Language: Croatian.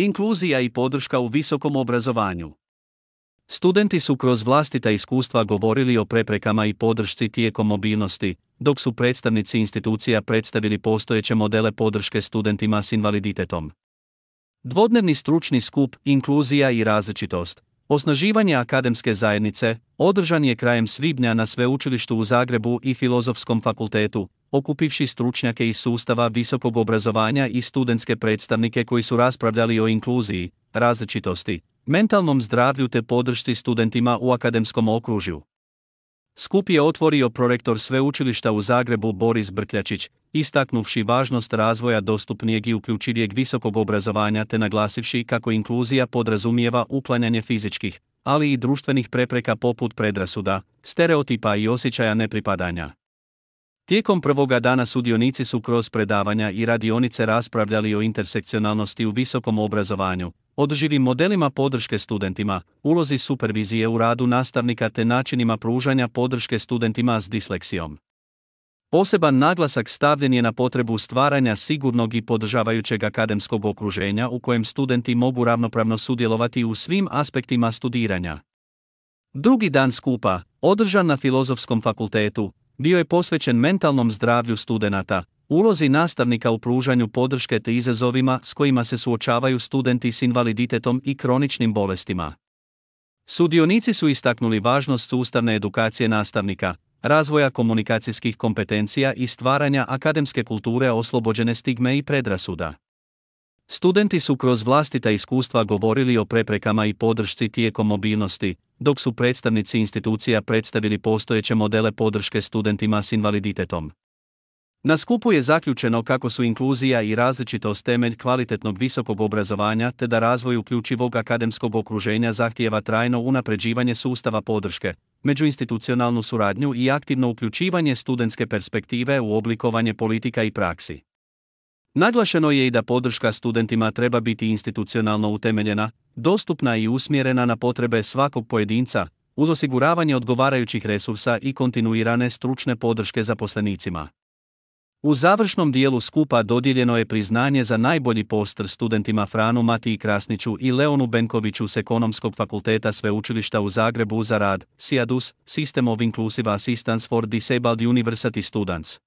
Inkluzija i podrška u visokom obrazovanju. Studenti su kroz vlastita iskustva govorili o preprekama i podršci tijekom mobilnosti, dok su predstavnici institucija predstavili postojeće modele podrške studentima s invaliditetom. Dvodnevni stručni skup Inkluzija i različitost, osnaživanje akademske zajednice, održan je krajem svibnja na Sveučilištu u Zagrebu i Filozofskom fakultetu, okupivši stručnjake iz sustava visokog obrazovanja i studentske predstavnike koji su raspravljali o inkluziji, različitosti, mentalnom zdravlju te podršci studentima u akademskom okružju. Skup je otvorio prorektor Sveučilišta u Zagrebu Boris Brkljačić, istaknuvši važnost razvoja dostupnijeg i uključivijeg visokog obrazovanja te naglasivši kako inkluzija podrazumijeva uklanjanje fizičkih, ali i društvenih prepreka poput predrasuda, stereotipa i osjećaja nepripadanja. Tijekom prvoga dana sudionici su kroz predavanja i radionice raspravljali o intersekcionalnosti u visokom obrazovanju, održivim modelima podrške studentima, ulozi supervizije u radu nastavnika te načinima pružanja podrške studentima s disleksijom. Poseban naglasak stavljen je na potrebu stvaranja sigurnog i podržavajućeg akademskog okruženja u kojem studenti mogu ravnopravno sudjelovati u svim aspektima studiranja. Drugi dan skupa, održan na Filozofskom fakultetu, bio je posvećen mentalnom zdravlju studenata, ulozi nastavnika u pružanju podrške te izazovima s kojima se suočavaju studenti s invaliditetom i kroničnim bolestima. Sudionici su istaknuli važnost sustavne edukacije nastavnika, razvoja komunikacijskih kompetencija i stvaranja akademske kulture oslobođene stigme i predrasuda. Studenti su kroz vlastita iskustva govorili o preprekama i podršci tijekom mobilnosti, dok su predstavnici institucija predstavili postojeće modele podrške studentima s invaliditetom. Na skupu je zaključeno kako su inkluzija i različitost temelj kvalitetnog visokog obrazovanja te da razvoj uključivog akademskog okruženja zahtijeva trajno unapređivanje sustava podrške, međuinstitucionalnu suradnju i aktivno uključivanje studentske perspektive u oblikovanje politika i praksi. Naglašeno je i da podrška studentima treba biti institucionalno utemeljena, dostupna i usmjerena na potrebe svakog pojedinca, uz osiguravanje odgovarajućih resursa i kontinuirane stručne podrške zaposlenicima. U završnom dijelu skupa dodijeljeno je priznanje za najbolji poster studentima Franu Matiji Krasniću i Leonu Benkoviću s Ekonomskog fakulteta Sveučilišta u Zagrebu za rad SIADUS, System of Inclusive Assistance for Disabled University Students.